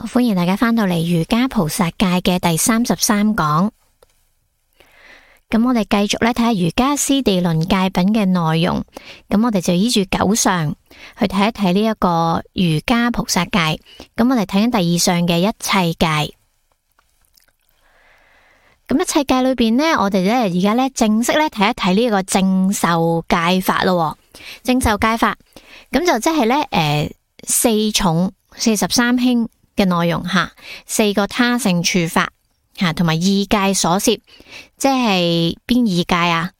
歡迎大家返到嚟瑜伽菩薩戒嘅第33講。咁我哋繼續咧睇下瑜伽師地論戒品嘅內容。咁我哋就依住九相去睇一睇呢一個瑜伽菩薩戒。咁我哋睇緊第2相嘅一切戒。咁一切戒裏邊呢，我哋咧而家咧正式咧睇一睇呢個正受戒法咯。正受戒法咁就即係咧4重43輕嘅內容吓，4個他勝處法吓，同埋二戒所攝，即係邊二戒啊？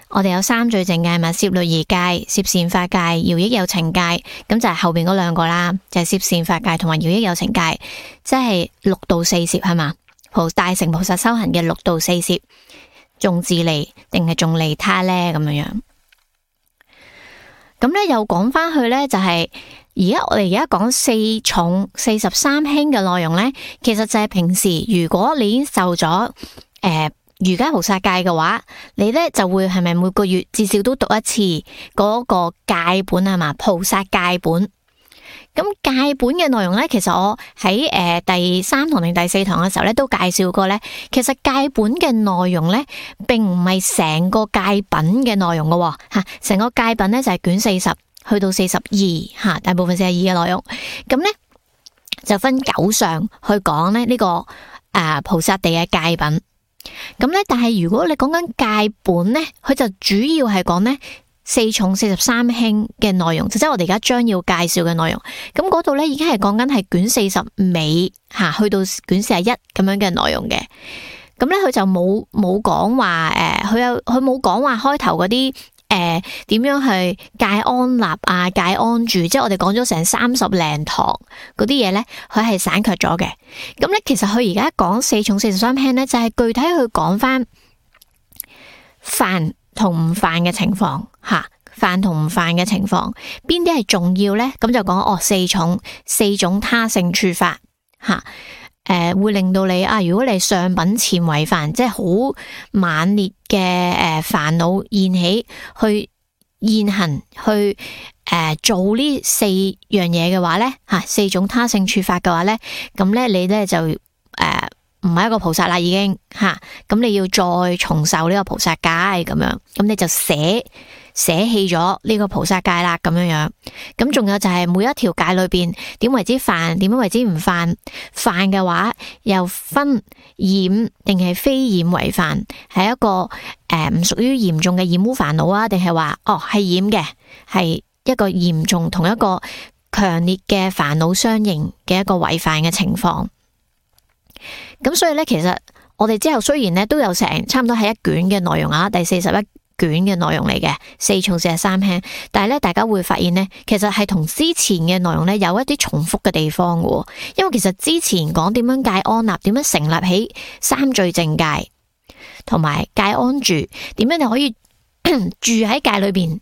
我哋有三聚淨戒嘛，攝律儀戒、攝善法戒、饒益有情戒，咁就係後邊嗰兩個啦，就係攝善法戒同埋饒益有情戒，即係六度四攝係嘛？大乘菩薩修行嘅六度四攝，重自利定係重利他呢？咁樣樣。咁咧又講翻去咧，就係我哋而家講4重43輕嘅內容咧，其實就係平時如果你已經受咗瑜伽菩薩戒嘅話，你咧就會係咪每個月至少都讀一次嗰個戒本係嘛？菩薩戒本。咁戒本嘅內容咧，其實我喺第3堂定第4堂嘅時候咧都介紹過咧。其實戒本嘅內容咧，並唔係成個戒品嘅內容噶吓，成個戒品咧就係卷40去到42吓，大部分42嘅內容。咁咧就分9相去講咧呢個菩薩地嘅戒品。咁咧，但係如果你講緊戒本咧，佢就主要係講咧4重43輕嘅內容，即係我哋而家將要介紹嘅內容。咁嗰度咧已經係講緊係卷40尾吓，去到卷41咁樣嘅內容嘅。咁咧佢就冇講話佢冇講話開頭嗰啲點樣去戒安立啊、戒安住，即係我哋講咗成30零堂嗰啲嘢咧，佢係省卻咗嘅。咁咧其實佢而家講4重43輕咧，就係具體去講翻犯同唔犯嘅情況吓，犯同唔犯嘅情況，邊啲係重要呢？咁就講4種他勝處法吓，會令到你如果你上品前違犯，即係好猛烈嘅煩惱現起，去現行去做呢4樣嘢嘅話呢吓，4種他勝處法嘅話呢，咁咧你咧就唔係一個菩薩啦，已經吓，咁你要再重受呢個菩薩戒咁樣，咁你就捨棄咗呢個菩薩戒啦，咁樣樣。咁仲有就係每一條戒裏邊點為之犯，點樣為之唔犯？犯嘅話又分染定係非染為犯，係一個唔屬於嚴重嘅染污煩惱啊，定係話係染嘅，係一個嚴重同一個強烈嘅煩惱相應嘅一個違犯嘅情況。咁所以咧，其實我哋之後雖然咧都有成差唔多係一卷嘅內容啊，第41卷嘅內容嚟嘅4重43輕，但係咧大家會發現咧，其實係同之前嘅內容咧有一啲重複嘅地方嘅，因為其實之前講點樣戒安立，點樣成立起三聚淨戒，同埋戒安住，點樣你可以住喺戒裏邊，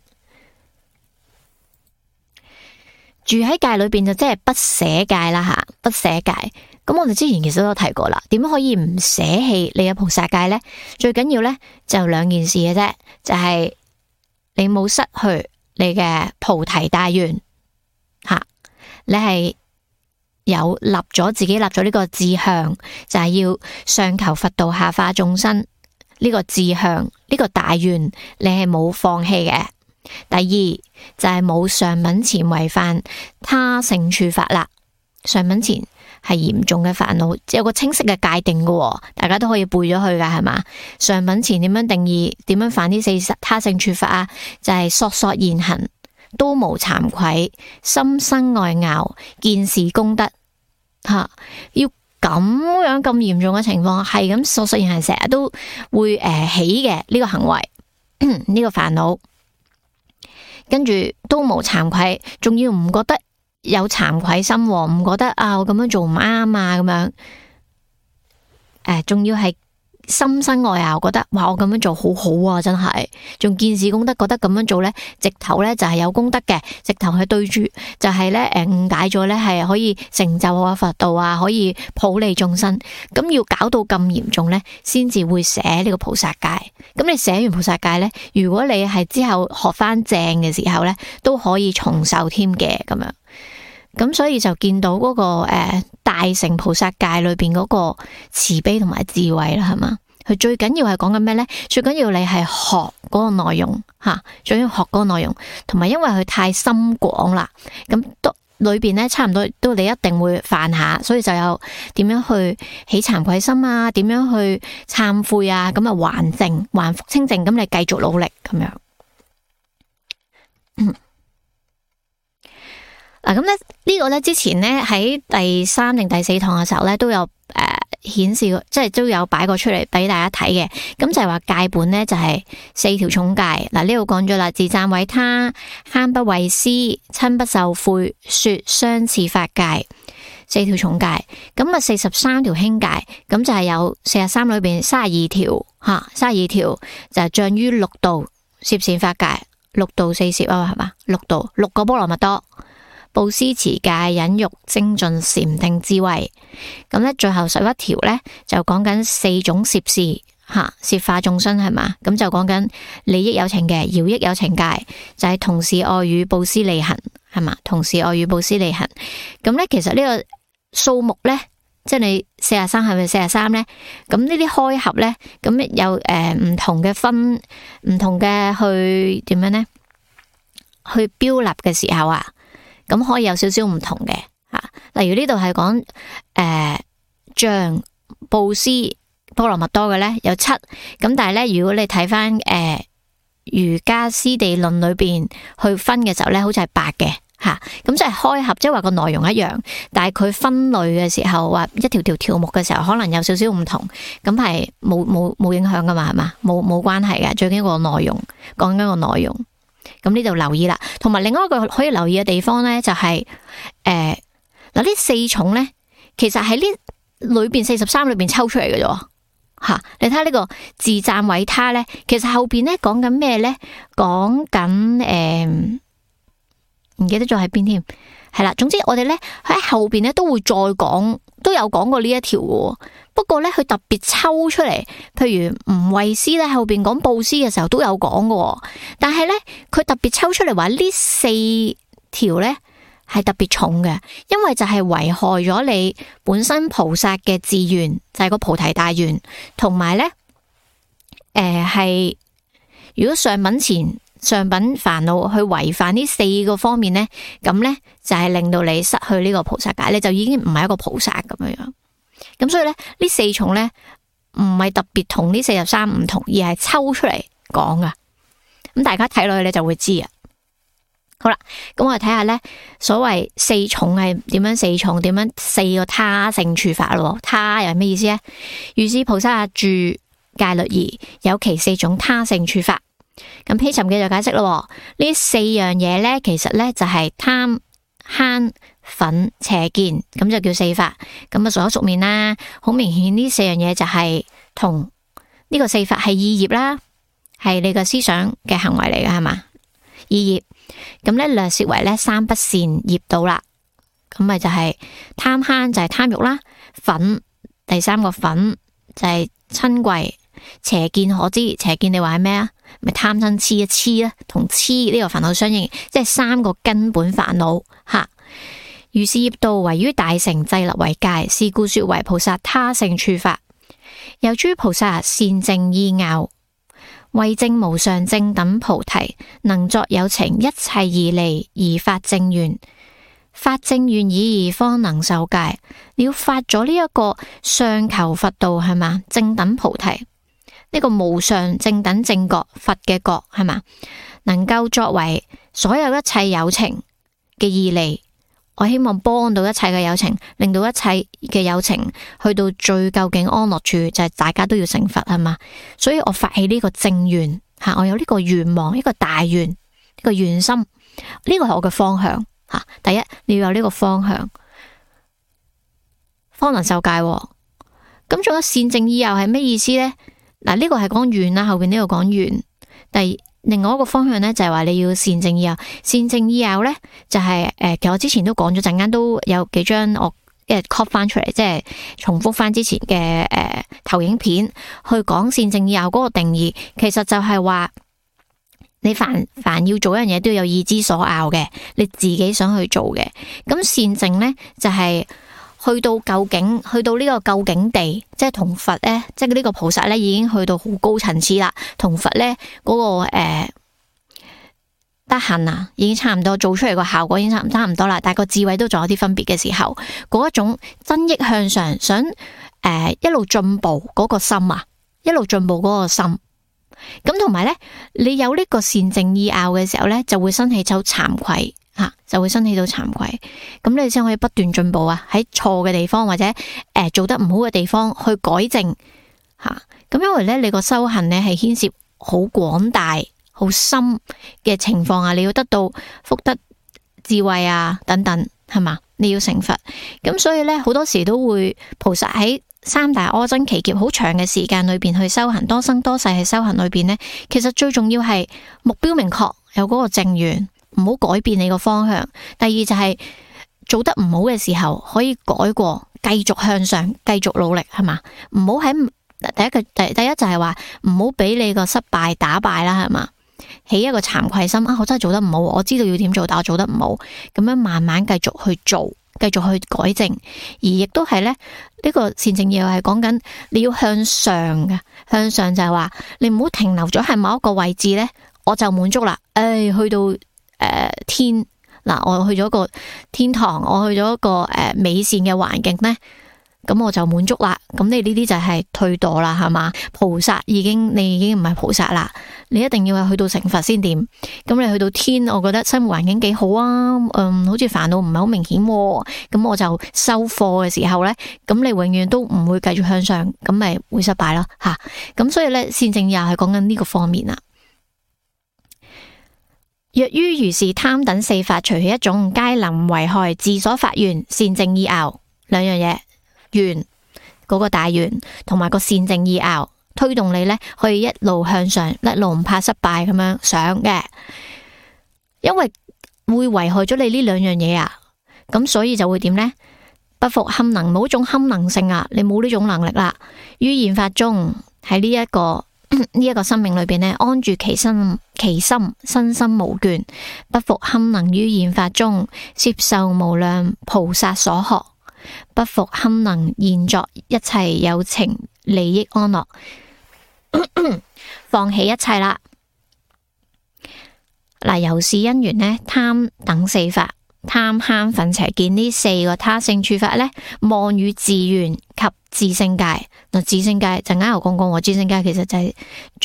住喺戒裏邊就即係不捨戒啦吓，不捨戒。咁我哋之前其實都有提過啦，點樣可以唔捨棄你嘅菩薩戒呢？最緊要呢就2件事嘅啫，就係你冇失去你嘅菩提大願吓，你係有自己立咗呢個志向，就係要上求佛道下化眾生呢個志向，呢個大願你係冇放棄嘅。第二就係冇上品前違犯他勝處法啦，上品前係嚴重嘅煩惱，有個清晰嘅界定嘅，大家都可以背咗去噶，係嘛？上品前點樣定義？點樣犯呢4他勝處法啊？就係索現行，都無慚愧，心生愛樂，見是功德吓，要咁樣咁嚴重嘅情況，係咁索現行，成日都會起嘅呢個行為，呢個煩惱，跟住都無慚愧，仲要唔覺得有慚愧心，唔覺得我咁樣做唔啱啊，咁樣仲要係心生愛啊，覺得哇我咁樣做好好啊，真係仲見是功德，覺得咁樣做呢，直頭呢就係有功德嘅，直頭係對住就係呢誤解咗呢係可以成就我佛道啊，可以普利眾生，咁要搞到咁嚴重呢，先至會捨呢個菩薩戒。咁你捨完菩薩戒呢，如果你係之後學翻正嘅時候呢，都可以重受添嘅咁樣。咁所以就見到嗰個大乘菩薩戒裏邊嗰個慈悲同埋智慧啦，係嘛？佢最緊要係講緊咩呢？最緊要你係學嗰個內容吓，最緊要學嗰個內容，同埋因為佢太深廣啦，咁都裏邊呢差唔多都你一定會犯下，所以就有點樣去起慚愧心啊，點樣去懺悔啊，咁啊還淨還復清淨，咁你繼續努力咁樣。嗱，咁咧呢個咧之前咧喺第3定第4堂嘅時候咧都有顯示過，即係都有擺過出嚟俾大家睇嘅。咁就係話戒本咧就係4條重戒。嗱，呢度講咗啦，自讚毀他，慳不畏施，親不受賄，說相似法戒，4條重戒。咁啊43條輕戒，咁就係有43裏邊32條吓，32條就係障於六道攝善法戒，六道四攝啊，係嘛？六道6個波羅蜜多。布施持戒忍辱精進禪定智慧，咁咧最後11條咧就講緊4種攝事吓，攝化眾生係嘛，咁就講緊利益有情嘅饒益有情戒，就係同時愛語布施利行係嘛，同時愛語布施利行，咁咧其實呢個數目咧，即係你43係咪43咧？咁呢啲開合咧，咁有唔同嘅分，唔同嘅去點樣咧？去標立嘅時候啊。咁可以有少少唔同嘅吓，例如呢度係講像布施波羅蜜多嘅咧有7，咁但係咧如果你睇翻瑜伽師地論裏邊去分嘅時候咧，好似係8嘅吓，咁即係開合，即係話個內容一樣，但係佢分類嘅時候話一條條條目嘅時候，可能有少少唔同，咁係冇影響噶嘛，係嘛？冇關係嘅，最緊要個內容，講緊個內容。咁呢度留意啦，同埋另外一個可以留意嘅地方咧，就係嗱呢4重咧，其實喺呢裏邊43裏邊抽出嚟嘅啫吓。你睇下呢個自讚毀他咧，其實後邊咧講緊咩咧？講緊唔記得咗喺邊添，係啦。總之我哋咧喺後邊咧都會再講，都有講過呢一條嘅。不過咧，佢特別抽出嚟，譬如唔畏施咧，後邊講布施嘅時候都有講嘅。但係咧，佢特別抽出嚟話呢4條咧係特別重嘅，因為就係危害咗你本身菩薩嘅志願，就係個菩提大願，同埋咧係如果上品前上品煩惱去違反呢4個方面咧，咁咧就係令到你失去呢個菩薩戒，你就已經唔係一個菩薩咁樣樣。咁所以咧，呢4重咧唔係特別同呢43唔同，而係抽出嚟講噶。咁大家睇落去你就會知啊。好啦，咁我哋睇下咧，所謂4重係點樣？4重點樣？4個他性處法咯。他又係咩意思咧？如是菩薩住戒律儀，有其4種他性處法。咁披尋記就解釋咯。呢4樣嘢咧，其實咧就係貪、慳、忿、邪見，咁就叫4法。咁啊，所熟面啦，好明顯呢4樣嘢就係同呢個4法係意業啦，係你個思想嘅行為嚟嘅係嘛？意業，咁咧略說為咧3不善業道啦。咁咪就係貪慳就係貪欲啦，忿第3個忿就係嗔恚，邪見可知，邪見你話係咩啊？咪貪嗔癡啊，癡啦，同癡呢個煩惱相應，即係3個根本煩惱吓。如是業道唯於大乘制立為戒，是故說為菩薩他性處法。有諸菩薩善證意樂，為證無上正等菩提，能作有情一切義利而發正願，發正願已而方能受戒。你要發咗呢一個上求佛道係嘛？正等菩提呢個無上正等正覺佛嘅覺係嘛？能夠作為所有一切有情嘅義利。我希望幫到一切嘅有情，令到一切嘅有情去到最究竟安樂處，就係大家都要成佛係嘛？所以我發起呢個正願吓，我有呢個願望，一個大願，呢個願心，呢個係我嘅方向吓。第一，你要有呢個方向，方能受戒。咁仲有善證意樂係咩意思呢？嗱，呢個係講願啦，後邊呢個講願。另外一個方向咧，就係話你要善證意樂。善證意樂咧，就係其實我之前都講咗，陣間都有幾張我copy 翻出嚟，即係重複翻之前嘅投影片去講善證意樂嗰個定義。其實就係話你凡要做一樣嘢都要有意之所拗嘅，你自己想去做嘅。咁善淨咧就係去到呢個究竟地，即係同佛咧，即係呢個菩薩咧已經去到好高層次啦，同佛咧嗰個德行啊，已經差唔多，做出嚟個效果已經差唔多啦，但係個智慧都仲有啲分別嘅時候，嗰一種增益向上，想一路進步嗰個心啊，一路進步嗰個心，咁同埋咧，你有呢個善淨意拗嘅時候咧，就會生起咗慚愧吓，就會生起到慚愧，咁你先可以不斷進步啊，喺錯嘅地方或者做得唔好嘅地方去改正吓，咁因為咧你個修行咧係牽涉好廣大、好深嘅情況啊，你要得到福德、智慧啊等等，係嘛？你要成佛，咁所以咧好多時都會菩薩喺三大阿僧祇劫好長嘅時間裏邊去修行，多生多世去修行裏邊呢，其實最重要係目標明確，有嗰個正願，唔好改變你個方向。第二就係做得唔好嘅時候可以改過，繼續向上，繼續努力，係嘛？唔好喺第一就係話唔好俾你個失敗打敗啦，係嘛？起一個慚愧心啊！我真係做得唔好，我知道要點做，但我做得唔好，咁樣慢慢繼續去做，繼續去改正，而亦都係咧呢個善淨意拗係講緊你要向上嘅，向上就係話你唔好停留咗喺某一個位置咧，我就滿足啦。去到天嗱，我去咗個天堂，我去咗一個美善嘅環境咧。咁我就滿足啦，咁你呢啲就係退墮啦，係嘛？菩薩你已經唔係菩薩啦，你一定要係去到成佛先掂。咁你去到天，我覺得生活環境幾好啊，好似煩惱唔係好明顯，咁我就收貨嘅時候呢，咁你永遠都唔會繼續向上，咁咪會失敗咯，吓。咁所以呢，善淨意拗係講緊呢個方面啦。若於如是貪等四法，隨其一種，皆能為害自所發願。善淨意拗兩樣嘢。願嗰個大願同埋個善淨意拗推動你呢，可以一路向上，一路唔怕失敗咁樣上嘅，因為會危害咗你呢兩樣嘢啊，咁所以就會點呢？不復堪能，冇種堪能性啊，你冇呢種能力啦。於現法中喺呢一個生命裏邊呢，安住其心，身心無倦，不復堪能於現法中攝受無量菩薩所學。不復堪能現作一切有情利益安樂，放棄一切啦。嗱，由是因緣呢，貪等四法，貪慳忿邪見呢四個他性處法呢，望與自願及自性界。嗱，自性界就啱啱講過，自性界其實就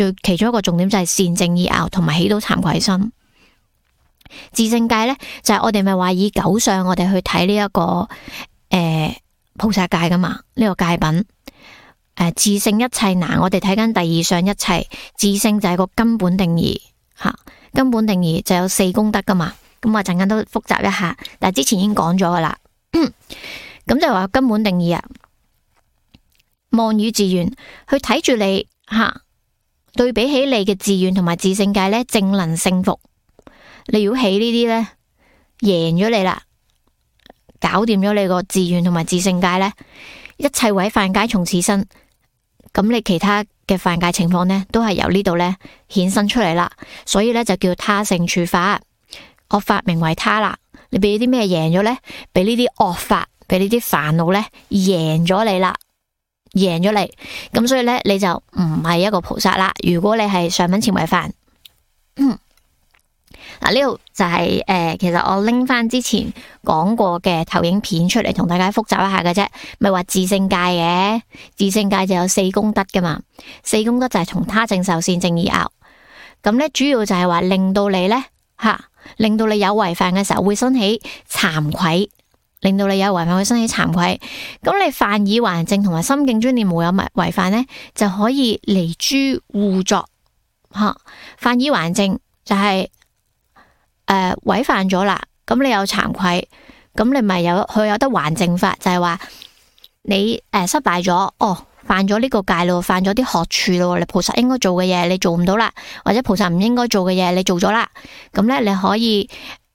係其中一個重點，就係善淨意拗同埋起到慚愧心。自性界呢，就係我哋咪話以九相我哋去睇呢一個菩薩界噶嘛，呢個界品自性一切難，我哋睇緊第二相一切，自性就係個根本定義吓，根本定義就有四功德噶嘛，咁我陣間都複習一下，但係之前已經講咗噶啦，咁就話根本定義啊，望與自願去睇住你吓，對比起你嘅自願同埋自性界呢，正能勝服，你如果起呢啲呢，贏咗你啦。搞掂咗你個自願同埋自性界呢，一切毀犯皆從此生，咁你其他嘅犯戒情況呢，都係由呢度呢衍生出嚟啦，所以呢，就叫他性處法，惡法名為他啦。你俾啲咩贏咗呢？俾呢啲惡法，俾呢啲煩惱呢贏咗你啦，贏咗你，咁所以呢，你就唔係一個菩薩啦。如果你係上品前違犯，嗱，呢度就係其實我拎翻之前講過嘅投影片出嚟同大家複習一下嘅啫，咪話自性界嘅，自性界就有四功德噶嘛，四功德就係從他正受善淨意拗，咁咧主要就係話令到你咧令到你有違犯嘅時候會生起慚愧，令到你有違犯會生起慚愧，咁你犯已還淨同埋心境專念無有違犯咧，就可以離諸互作犯已還淨就係違犯咗啦，咁你有慚愧，咁你咪佢有得還淨法，就係話你失敗咗，犯咗呢個戒咯，犯咗啲學處咯，你菩薩應該做嘅嘢你做唔到啦，或者菩薩唔應該做嘅嘢你做咗啦，咁咧你可以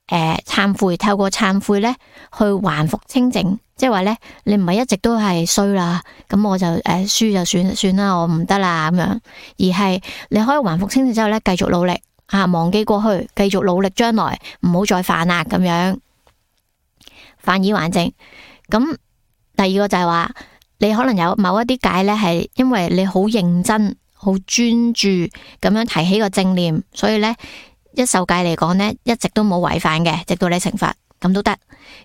懺悔，透過懺悔咧去還復清淨，即係話咧你唔係一直都係衰啦，咁我就輸就算啦，我唔得啦咁樣，而係你可以還復清淨之後咧繼續努力忘記過去，繼續努力將來，唔好再犯啦咁樣。犯以還正。咁第二個就係話，你可能有某一啲戒呢，係因為你好認真、好專注咁樣提起個正念，所以呢，一受戒嚟講呢，一直都冇違反嘅，直到你成佛咁都得。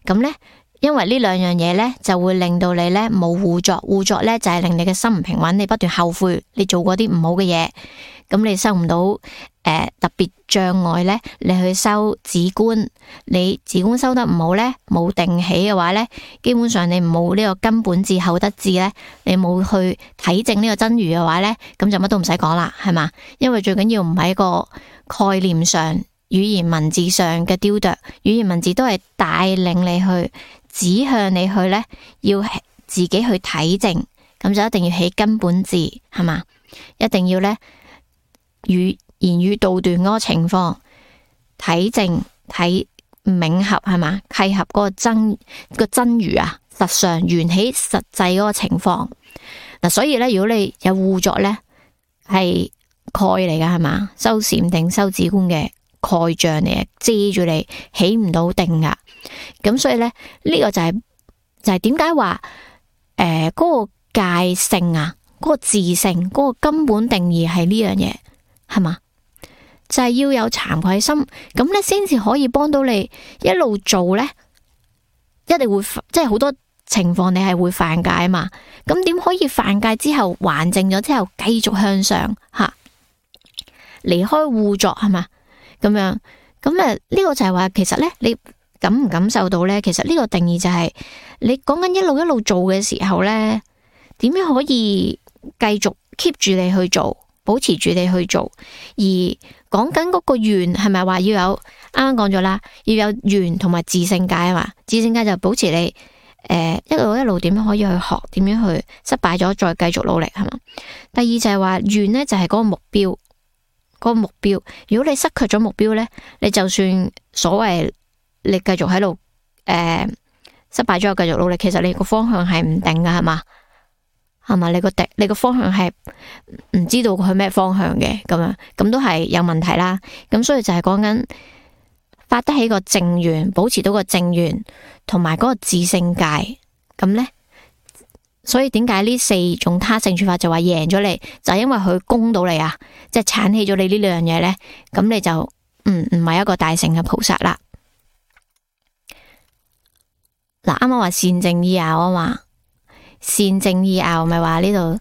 咁呢，因為呢兩樣嘢呢，就會令到你呢冇互作，互作呢，就係令你嘅心唔平穩，你不斷後悔你做過啲唔好嘅嘢，咁你收唔到特別障礙呢，你去修止觀，你止觀修得唔好呢，冇定起嘅話呢，基本上你冇呢個根本智後得智呢，你冇去體證呢個真如嘅話呢，咁就乜都唔使講啦，係嘛？因為最緊要唔係一個概念上、語言文字上嘅雕琢，語言文字都係帶領你去指向你去呢，要自己去體證，咁就一定要起根本智，係嘛？一定要呢語言語道斷嗰個情況，體證睇冥合，係嘛？契合嗰個真如啊，實上緣起實際嗰個情況嗱，所以呢，如果你有互作呢，係蓋嚟噶，係嘛？修禪定修止觀嘅蓋障嚟嘅，遮住你起唔到定噶。咁所以呢，呢個就係點解話嗰個戒性啊，嗰個自性，嗰個根本定義係呢樣嘢，係嘛？就係要有慚愧心，咁咧先至可以幫到你一路做呢，一定會即係好多情況你係會犯戒啊嘛。咁點可以犯戒之後還淨咗之後繼續向上吓，離開互作，係嘛？咁樣咁呢個就係話，其實呢，你感唔感受到呢？其實呢個定義就係你講緊一路做嘅時候呢，點樣可以繼續 keep 住你去做，保持住你去做，而講緊嗰個緣係咪話要有？啱啱講咗啦，要有緣同埋自性戒啊嘛。自性戒就保持你一路點樣可以去學，點樣去失敗咗再繼續努力，係嘛？第二就係話緣呢，就係嗰個目標，嗰個目標。如果你失去咗目標呢，你就算所謂你繼續喺度失敗咗又繼續努力，其實你個方向係唔定噶，係嘛？係嘛？你個方向係唔知道佢咩方向嘅，咁樣咁都係有問題啦。咁所以就係講緊發得起個正緣，保持到個正緣，同埋嗰個自性戒。咁呢，所以點解呢4種他勝處法就話贏咗你，就係因為佢攻到你啊，即係鏟起咗你呢兩樣嘢呢。咁你就唔係一個大乘嘅菩薩啦。嗱，啱啱話善正意拗啊嘛。善正意拗咪話呢度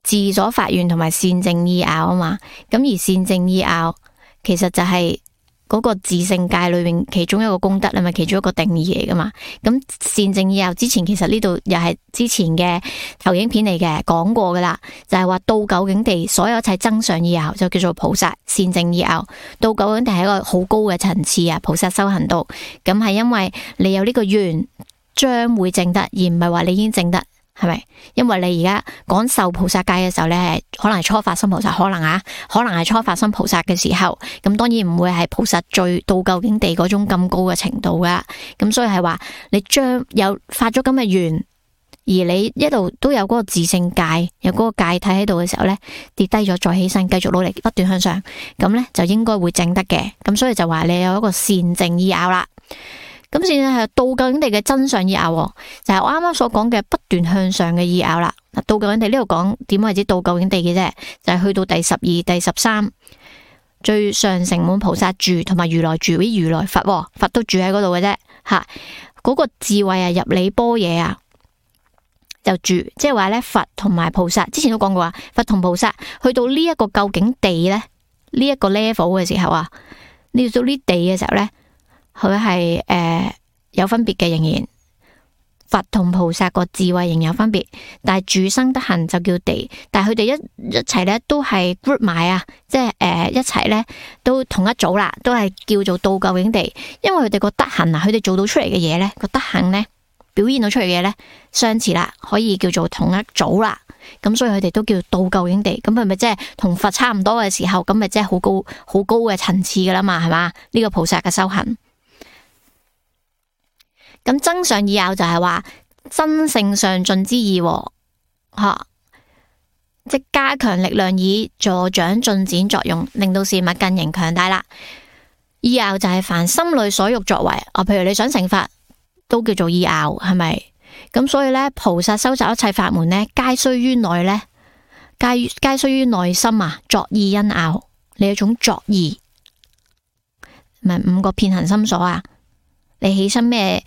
自所發願同埋善正意拗啊嘛，咁而善正意拗其實就係嗰個自性戒裏面其中一個功德啊嘛，其中一個定義嚟噶嘛。咁善正意拗之前其實呢度又係之前嘅投影片嚟嘅，講過噶啦，就係話到究竟地所有一切增上意拗就叫做菩薩善正意拗。到究竟地係一個好高嘅層次啊，菩薩修行道，咁係因為你有呢個願將會證得，而唔係話你已經證得，係咪？因為你而家講受菩薩戒嘅時候咧，可能係初發心菩薩，可能係初發心菩薩嘅時候，咁當然唔會係菩薩最到究竟地嗰種咁高嘅程度噶。咁所以係話你將有發咗咁嘅願，而你一路都有嗰個自性戒，有嗰個戒體喺度嘅時候咧，跌低咗再起身，繼續努力不斷向上，咁咧就應該會證得嘅。咁所以就話你有一個善正意拗啦。咁先係到究竟地嘅真相意拗，就係我啱啱所講嘅不斷向上嘅意拗啦。嗱，到究竟地呢度講點為之到究竟地嘅啫，就係去到第12、第13，最上乘滿菩薩住同埋如來住，啲如來佛都住喺嗰度嘅啫。吓，嗰個智慧啊，入理般若啊，就住，即係話咧佛同埋菩薩，之前都講過啊，佛同菩薩去到呢一個究竟地咧，呢一個 level 嘅時候啊，你到呢地嘅時候咧。佢係有分別嘅，仍然佛同菩薩個智慧仍有分別，但係住生德行就叫地，但係佢哋一齊咧都係 group 埋啊，即係一齊咧都同一組啦，都係叫做到究竟地，因為佢哋個德行啊，佢哋做到出嚟嘅嘢咧，個德行咧表現到出嚟嘅嘢咧相似啦，可以叫做同一組啦，咁所以佢哋都叫到究竟地，咁係咪即係同佛差唔多嘅時候，咁咪即係好高嘅層次噶啦嘛，係嘛？呢個菩薩嘅修行。咁增上意拗就係話真性上進之意，吓，即加強力量以助長進展作用，令到事物更形強大啦。意拗就係凡心裏所欲作為，譬如你想成佛，都叫做意拗，係咪？咁所以呢，菩薩收集一切法門呢，皆須於內呢，皆須於內心啊，作意因拗。你有一種作意，咪5個遍行心所啊？你起身咩？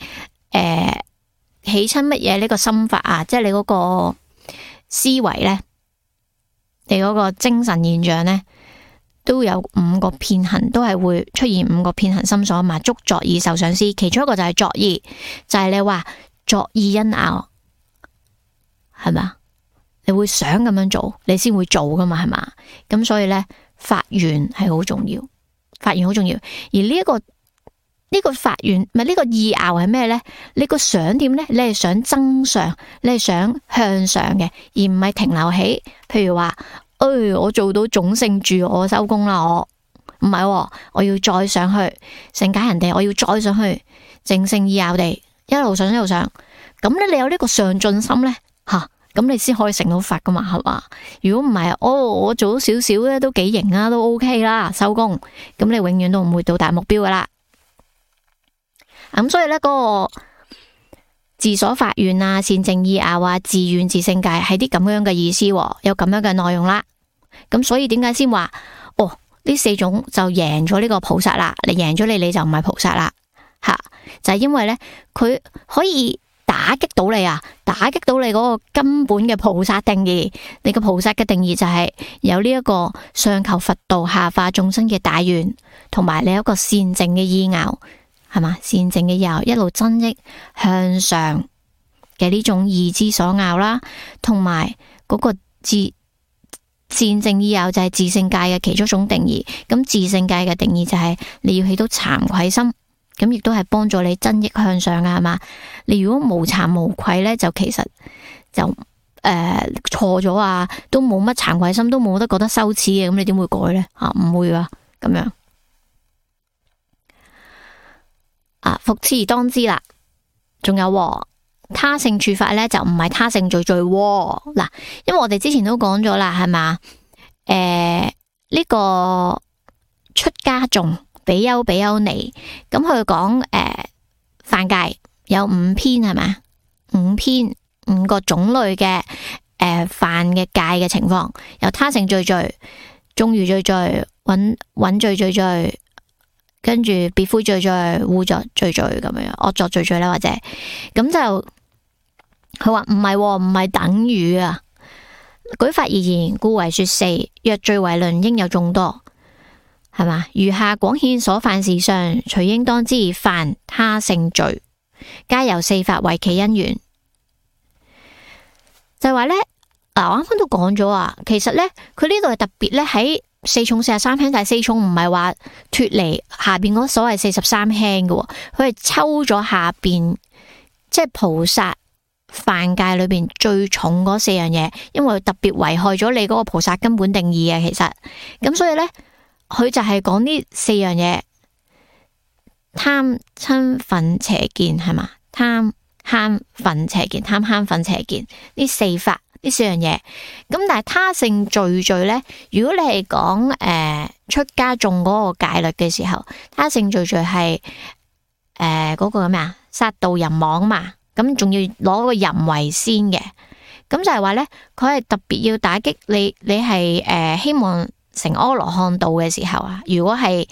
起身乜嘢呢個心法啊？即係你嗰個思維呢，你嗰個精神現象呢，都有5個遍行，都係會出現5個遍行心所嘛。觸作意受想思，其中一個就係作意，就係你話作意因拗，係咪？你會想咁樣做，你先會做噶嘛，係嘛？咁所以呢，發願係好重要，發願好重要。而呢個發願，唔係呢個意拗係咩呢？你個想點呢？你係想增上，你係想向上嘅，而唔係停留喺，譬如話，我做到種姓住，我收工啦，我唔係，我要再上去成解人哋，我要再上去正性意拗地一路上一路上。咁咧，你有呢個上進心呢，咁你先可以成到佛噶嘛，係嘛？如果唔係，我做到少少咧都幾型啊，都 OK 啦，收工。咁你永遠都唔會到達目標噶啦。咁所以咧，嗰個自所發願啊、善淨意拗啊、自願自性界係啲咁樣嘅意思，有咁樣嘅內容啦。咁所以點解先話呢4種就贏咗呢個菩薩啦？你贏咗你就唔係菩薩啦，就係因為咧佢可以打擊到你啊，打擊到你嗰個根本嘅菩薩定義。你個菩薩嘅定義就係有呢一個上求佛道、下化眾生嘅大願，同埋你有一個善淨嘅意拗，係嘛？善淨嘅意拗一路增益向上嘅呢種意之所拗啦，同埋嗰個善淨意拗就係自性界嘅其中一種定義。咁自性界嘅定義就係你要起到慚愧心，咁亦都係幫助你增益向上噶，係嘛？你如果無慚無愧呢，就其實就錯咗啊，都冇乜慚愧心，都冇得覺得羞恥嘅，咁你點會改呢？唔會啊，咁樣復次而當知啦。仲有他勝處法呢，就唔係他勝罪罪嗱，因為我哋之前都講咗啦，係嘛？呢個出家眾比丘比丘尼，咁佢講犯戒有5篇，係咪？5篇5個種類嘅犯嘅戒嘅情況，有他勝罪罪、眾餘罪罪、允罪罪罪，跟住別悔罪罪、污作罪罪咁樣，惡作罪罪啦，或者咁就佢話唔係等於啊。舉法而言，故為說4。若罪為論，應有眾多，係嘛？餘下廣顯所犯事上，隨應當知犯他勝罪，皆由4法為其因緣。就係話呢，我啱啱都講咗啊，其實呢，佢呢度係特別咧喺4重43輕，但係4重唔係話脫離下邊嗰所謂43輕嘅，佢係抽咗下邊即係菩薩犯戒裏邊最重嗰4樣嘢，因為特別危害咗你嗰個菩薩根本定義啊。其實咁所以呢，佢就係講呢4樣嘢：貪嗔忿邪見，係嘛？貪慳忿邪見，貪慳忿邪見呢4法，呢4樣嘢。咁但係他勝罪罪呢，如果你係講出家眾嗰個戒律嘅時候，他勝罪罪係嗰個咩啊？殺盜淫妄嘛。咁仲要攞個淫為先嘅，咁就係話呢，佢係特別要打擊你，你係希望成阿羅漢道嘅時候啊，如果係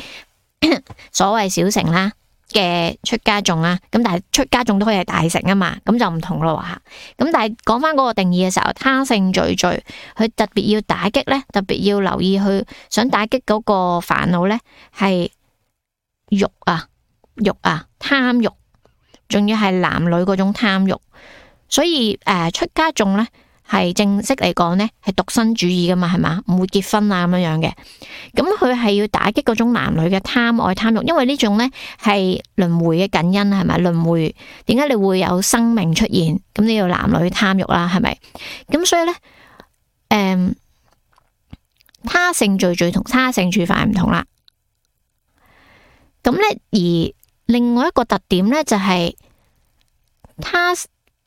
所謂小乘啦嘅出家眾啦，咁但係出家眾都可以係大乘啊嘛，咁就唔同咯吓。咁但係講翻嗰個定義嘅時候，他勝罪罪，佢特別要打擊呢，特別要留意去想打擊嗰個煩惱呢，係欲啊貪欲。仲要係男女嗰種貪欲，所以出家眾呢係正式嚟講呢係獨身主義噶嘛，係嘛？唔會結婚啊咁樣嘅。咁佢係要打擊嗰種男女嘅貪愛貪欲，因為呢種呢係輪迴嘅根因，係咪？輪迴點解你會有生命出現？咁你要男女貪欲啦，係咪？咁所以呢，他勝罪罪同他勝處法唔同啦。咁呢而另外一個特點呢，就係他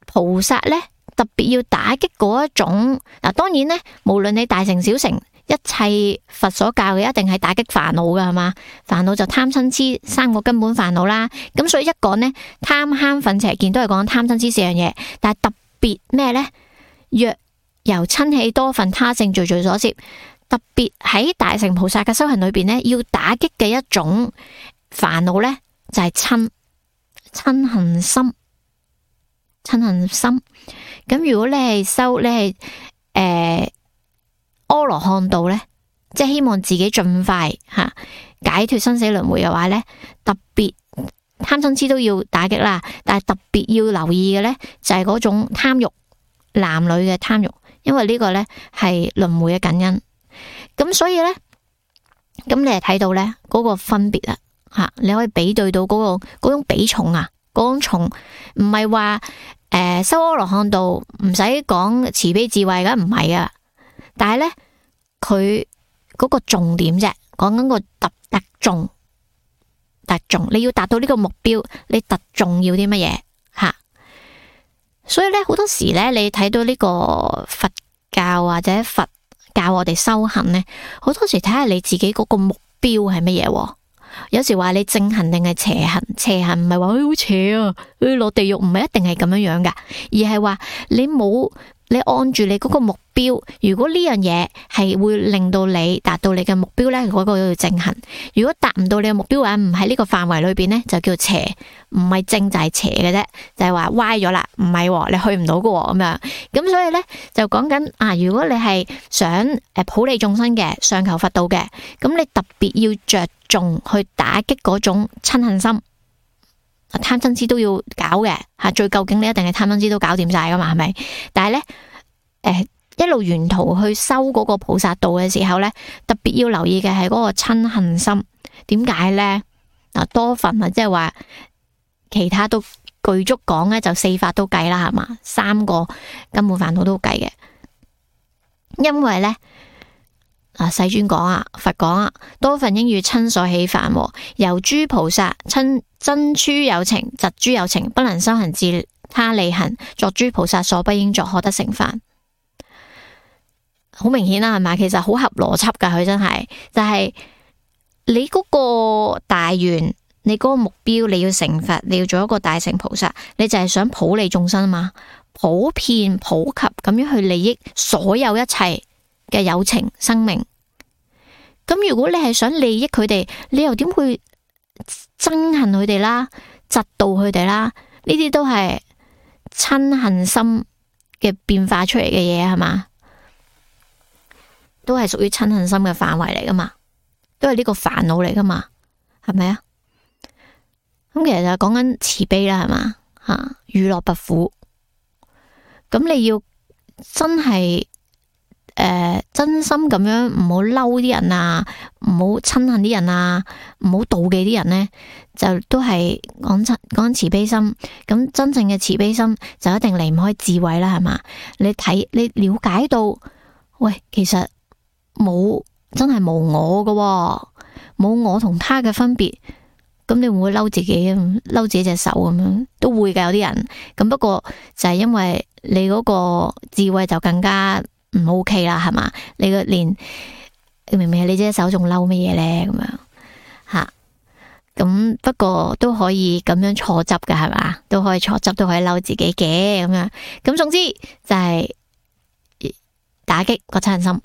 菩薩呢，特別要打擊嗰一種嗱。當然咧，無論你大成小成，一切佛所教嘅一定係打擊煩惱噶，係嘛？煩惱就貪嗔癡三個根本煩惱啦。咁所以一講呢，貪慳忿邪見都係講貪嗔癡四樣嘢，但係特別咩呢？若由瞋起多分他性罪所攝，特別喺大乘菩薩嘅修行裏邊呢，要打擊嘅一種煩惱呢，就係嗔恨心。嗔恨心。咁如果你係修，你係阿羅漢道呢，即係希望自己盡快解脫生死輪迴嘅話呢，特別貪嗔癡都要打擊啦。但係特別要留意嘅呢，就係嗰種貪欲，男女嘅貪欲，因為呢個呢係輪迴嘅根因。咁所以呢，咁你係睇到呢嗰個分別啦吓，你可以比對到嗰種比重啊，嗰種重唔係話修阿羅漢道唔使講慈悲智慧㗎，唔係啊。但係呢，佢嗰個重點啫，講緊個特重，你要達到呢個目標，你特重要啲乜嘢吓？所以呢，好多時呢，你睇到呢個佛教或者佛教我哋修行呢，好多時睇下你自己嗰個目標係乜嘢。有時話你正行定係邪行，邪行唔係話好邪啊，落地獄唔係一定係咁樣樣噶，而係話你按住你嗰個目標，如果呢樣嘢係會令到你達到你嘅目標呢，嗰個叫正行；如果達唔到你嘅目標嘅話，唔喺呢個範圍裏邊呢，就叫邪，唔係正就係邪嘅啫，就係話歪咗啦，唔係你去唔到嘅咁樣。咁所以呢，就講緊如果你係想普利眾生嘅，上求佛道嘅，咁你特別要着重去打擊嗰種嗔恨心。貪嗔癡都要搞嘅吓，最究竟你一定係貪嗔癡都搞掂晒噶嘛，係咪？但係咧，一路沿途去修嗰個菩薩道嘅時候咧，特別要留意嘅係嗰個嗔恨心。點解咧？多分即係話其他都具足講咧，就四法都計啦，係嘛？三個根本煩惱都計嘅，因為咧。世尊講佛講多分應與瞋所起煩，由諸菩薩瞋憎諸有情，嫉諸有情，不能修行自他利行，作諸菩薩所不應作，可得成梵。好明顯啦，係咪？其實好合邏輯噶，佢真係就係你嗰個大願，你嗰個目標，你要成佛，你要做一個大乘菩薩，你就係想普利眾生嘛，普遍普及咁樣去利益所有一切嘅有情生命。咁如果你係想利益佢哋，你又點會憎恨佢哋啦、嫉妒佢哋啦？呢啲都係嗔恨心嘅變化出嚟嘅嘢，係嘛？都係屬於嗔恨心嘅範圍嚟噶嘛？都係呢個煩惱嚟噶嘛？係咪啊？咁其實就係講緊慈悲啦，係嘛？與樂不苦。咁你要真係真心咁樣，唔好嬲啲人啊，唔好憎恨啲人啊，唔好妒忌啲人呢，就都係講慈悲心。咁真正嘅慈悲心就一定離唔開智慧啦，係嘛？你了解到，喂，其實真係無我噶，冇我同他嘅分別。咁你會唔會嬲自己啊？嬲自己隻手咁樣都會噶，有啲人。咁不過就係因為你嗰個智慧就更加唔 OK 啦，係嘛？你明明係你隻手仲嬲乜嘢咧？咁樣吓，咁不過都可以咁樣錯執嘅，係嘛？都可以錯執，都可以嬲自己嘅咁樣。咁總之就係打擊個嗔恨心。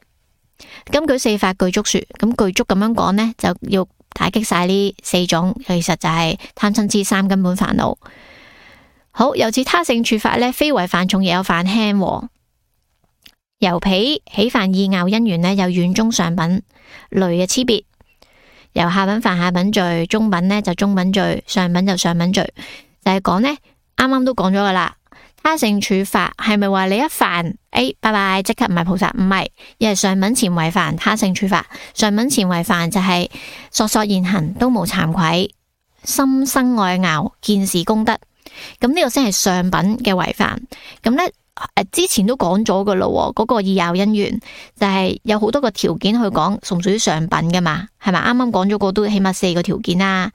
根據四法具足說，咁具足咁樣講呢，就要打擊晒呢四種，其實就係貪嗔癡三根本煩惱。好，由此他勝處法呢，非為犯重，亦有犯輕。由彼起犯意拗因緣呢，有遠中上品類嘅差別。由下品犯下品罪，中品呢就中品罪，上品就上品罪。就係講呢，啱啱都講咗噶啦。他勝處法係咪話你一犯，拜拜即刻唔係菩薩？唔係，而係上品前為犯他勝處法。上品前為犯就係索索現行，都無慚愧，心生愛拗，見是功德。咁呢個先係上品嘅為犯。咁呢，之前都講咗噶咯，嗰個意拗因緣就係有好多個條件去講，屬唔屬於上品噶嘛？係咪？啱啱講咗個都起碼4個條件啦。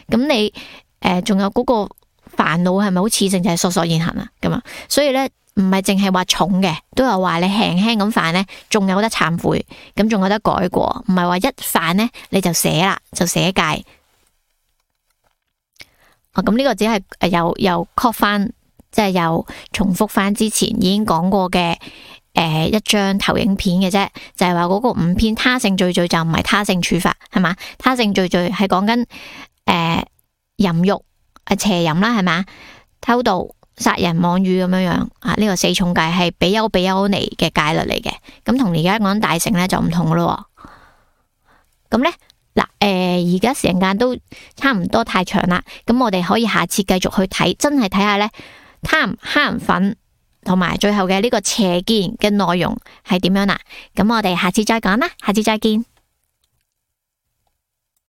咁你仲有嗰個煩惱係咪好似性就係索索現行啊？咁啊，所以咧唔係淨係話重嘅，都有話你輕輕咁犯呢，仲有得懺悔，咁仲有得改過，唔係話一犯呢你就寫啦，就寫戒。咁呢個只係又 call 翻，即係又重複翻之前已經講過嘅一張投影片嘅啫，就係話嗰個5篇他性罪罪就唔係他性處罰，係嘛？他性罪罪係講緊淫欲邪淫啦，係嘛？偷盜、殺人、妄語咁樣啊，呢個4重戒係比丘尼嘅戒律嚟嘅，咁同而家講大乘咧就唔同咯。咁咧嗱，而家時間都差唔多太長啦，咁我哋可以下次繼續去睇，真係睇下咧貪、慳、忿同埋最後嘅呢個邪見嘅內容係點樣啦。咁我哋下次再講啦，下次再見。